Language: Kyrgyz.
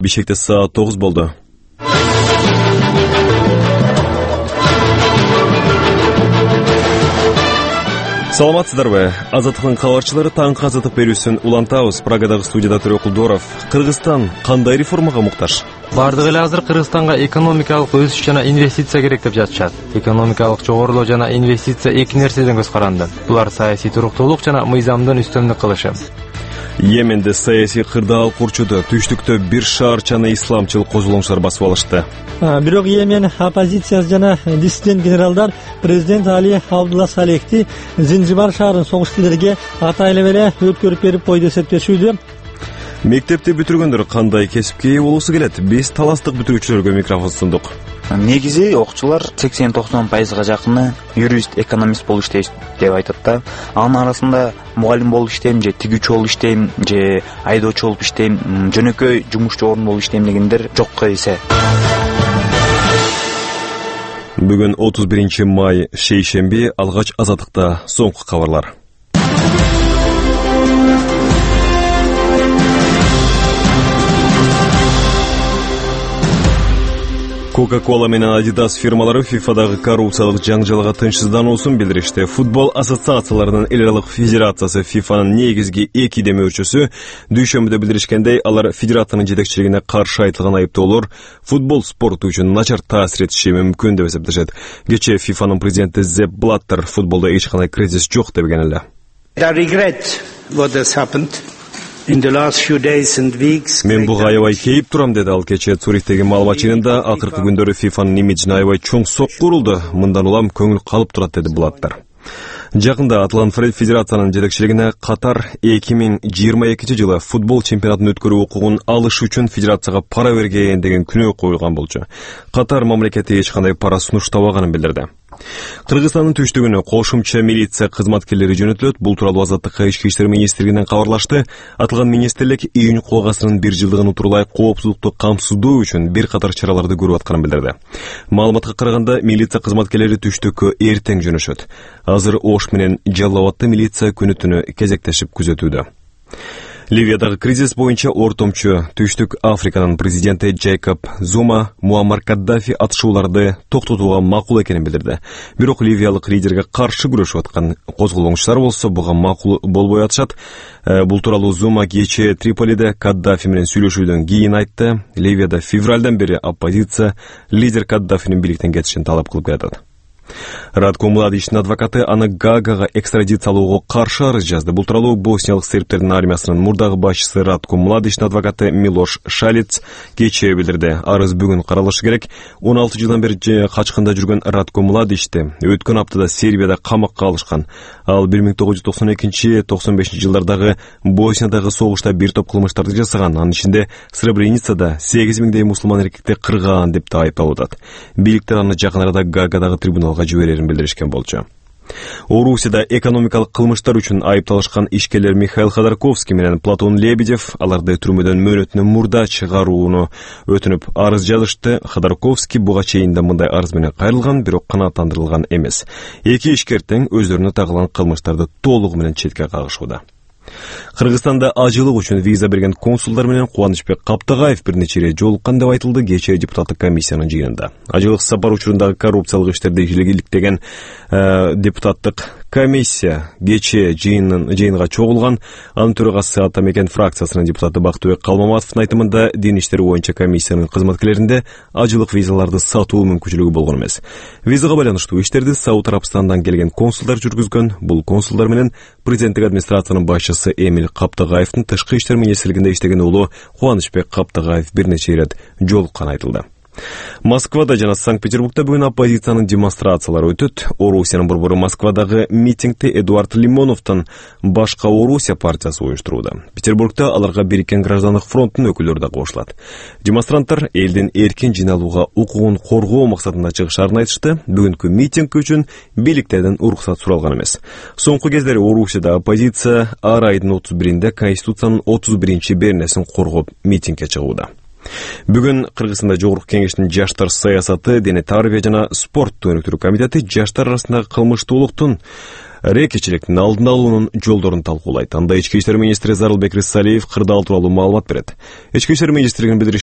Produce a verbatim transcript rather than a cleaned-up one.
Бишкекте саат тогуз болду. Саламатсыздарбы? Азаттыктын кабарчылары таңкы азаттык берүүсүн улантабыз. Прагадагы студияда Төрө Кулдоров. Кыргызстан кандай реформага муктаж? Бардыгы эле азыр Кыргызстанга экономикалык өсүш жана инвестиция керек деп жатышат. Экономикалык жогорулоо жана инвестиция эки нерседен көз каранды. Булар саясий туруктуулук жана мыйзамдын үстөмдүк кылышы. Йеменде саясий кырдаал курчуду. Түштүктө бир шаарчаны исламчыл козголоңчулар басып алышты. Бирок Йемен оппозициясы жана диссидент генералдар президент Али Абдулла Салехти Зинжибар шаарын согуш тилерге атайлап эле өткөрүп берип койду деп эсептешүүдө. Мектепти бүтүргөндөр кандай кесипке ээ болуусу келет? Биз таластык бүтүрүүчүлөргө микрофон сундук. Негизи окуучулар сексен токсон пайызга жакыны юрист, экономист болуп иштейт деп айтат да. Анын арасында мугалим болуп иштейм же тигүүчү болуп иштейм же айдоочу болуп иштейм, жөнөкөй жумушчу орун болуп иштейм дегендер жокко эсе. Бүгүн отуз биринчи май шейшемби, алгач азаттыкта соңку кабарлар. Coca-Cola менен Adidas фирмалары ФИФАдагы коррупциялык жаңжалга тынчсыздануусун билдиришти. Футбол ассоциацияларынын эл аралык федерациясы ФИФАнын негизги эки демөөрчүсү дүйшөмбүдө билдиришкендей, алар федерациянын жетекчилигине каршы айтылган айыптоолор футбол спорту үчүн начар таасир этиши мүмкүн деп эсептешет. Кечээ ФИФАнын президенти Зепп Блаттер футболдо эч кандай кризис жок деген эле. I regret what has happened. Мен буга аябай кейип турам, деди ал кечээ Цюрихтеги маалымат жыйынында. Акыркы күндөрү ФИФАнын имиджине аябай чоң сокку урулду. Мындан улам көңүл калып турат, деди Блаттер. Жакында аталган федерациянын жетекчилигине Катар эки миң жыйырма экинчи жылы футбол чемпионатын өткөрүү укугун алыш үчүн федерацияга пара берген деген күнөө коюлган болчу. Катар мамлекети эч кандай пара сунуштабаганын билдирди. Кыргызстандын түштүгүнө кошумча милиция кызматкерлери жөнөтүлөт. Бул тууралуу Азаттыкка ички иштер министрлигинен кабарлашты. Аталган министрлик июнь кубгасынын бир жылдыгын утурулай коопсуздукту камсыздоо үчүн бир катар чараларды көрүп атканын билдирди. Маалыматка караганда, милиция кызматкерлери түштүккө эртең жөнөшөт. Азыр Ош менен Жалал Абадта милиция күнү-түнү кезектешип күзөтүүдө. Ливиядагы кризис боюнча ортомчу Түштүк Африканын президенти Джейкоб Зума Муаммар Каддафи атышууларды токтотууга макул экенин билдирди. Бирок ливиялык лидерге каршы күрөшүп аткан козголоңчулар болсо буга макул болбой атышат. Бул тууралуу Зума кечээ Триполиде Каддафи менен сүйлөшүүдөн кийин айтты. Ливияда февралдан бери оппозиция лидер Каддафинин бийликтен кетишин талап кылып келатат. Радко Младичтин адвокаты аны Гаагага экстрадициялоого каршы арыз жазды. Бул тууралуу босниялык сербтердин армиясынын мурдагы башчысы Радко Младичтин адвокаты Милош Шалец кечээ билдирди. Арыз бүгүн каралышы керек. он алты жылдан бери качкында жүргөн Радко Младичти өткөн аптада Сербияда камакка алышкан. Ал бир миң тогуз жүз токсон экинчи токсон бешинчи жылдардагы Босниядагы согушта бир топ кылмыштарды жасаган. Анын ичинде Сребреницада сегиз миңдей мусулман эркекти кырган деп да айыпталып атат. Бийликтер аны жакын арада Гаагадагы трибуналга жиберерин билдиришкен болчу. Орусияда экономикалык кылмыштар үчүн айыпталышкан ишкерлер Михаил Ходорковский менен Платон Лебедев аларды түрмөдөн мөөнөтүнөн мурда чыгарууну өтүнүп арыз жазышты. Ходорковский буга чейин да мындай арыз менен кайрылган, бирок канааттандырылган эмес. Эки ишкер тең өздөрүнө тагылган кылмыштарды толугу менен четке кагышууда. Кыргызстанда ажылык үчүн виза берген консулдар менен Кубанычбек Каптагаев бир нече ирет жолуккан деп айтылды кечээ депутаттык комиссиянын жыйынында. Ажылык сапар учурундагы коррупциялык иштерди илгиликтеген депутаттык комиссия кечээ жыйынын жыйынга чогулган. Анын төрагасы Атамекен фракциясынын депутаты Бактыбек Калмаматовдун айтымында дин иштери боюнча комиссиянын кызматкерлеринде ажылык визаларды сатуу мүмкүнчүлүгү болгон эмес. Визага байланыштуу иштерди Сауд Арабстандан келген консулдар жүргүзгөн. Бул консулдар менен президенттик администрациянын башчысы Эмиль Каптагаевдин тышкы иштер министрлигинде иштеген уулу Кубанычбек Каптагаев бир нече ирет жолукканы айтылды. Москвада жана Санкт-Петербургда бүгүн оппозициянын демонстрациялары өтөт. Орусиянын борбору Москвадагы митингди Эдуард Лимоновдун Башка Орусия партиясы уюштурууда. Петербургда аларга Бириккен граждандык фронттун өкүлдөрү да кошулат. Демонстранттар элдин эркин жыйналууга укугун коргоо максатында чыгышаарын айтышты. Бүгүнкү митинг үчүн бийликтерден уруксат суралган эмес. Соңку кездери Орусияда оппозиция ар айдын отуз биринде Конституциянын отуз биринчи беренесин коргоп митингге чыгууда. Бүгүн Кыргызстанда Жогорку Кеңештин жаштар саясаты, дене тарбия жана спортту өнүктүрүү комитети жаштар арасындагы кылмыштуулуктун рекечиликтин алдын алуунун жолдорун талкуулайт. Анда ички иштер министри Зарылбек Рыссалиев кырдаал тууралуу маалымат берет. Ички иштер министринин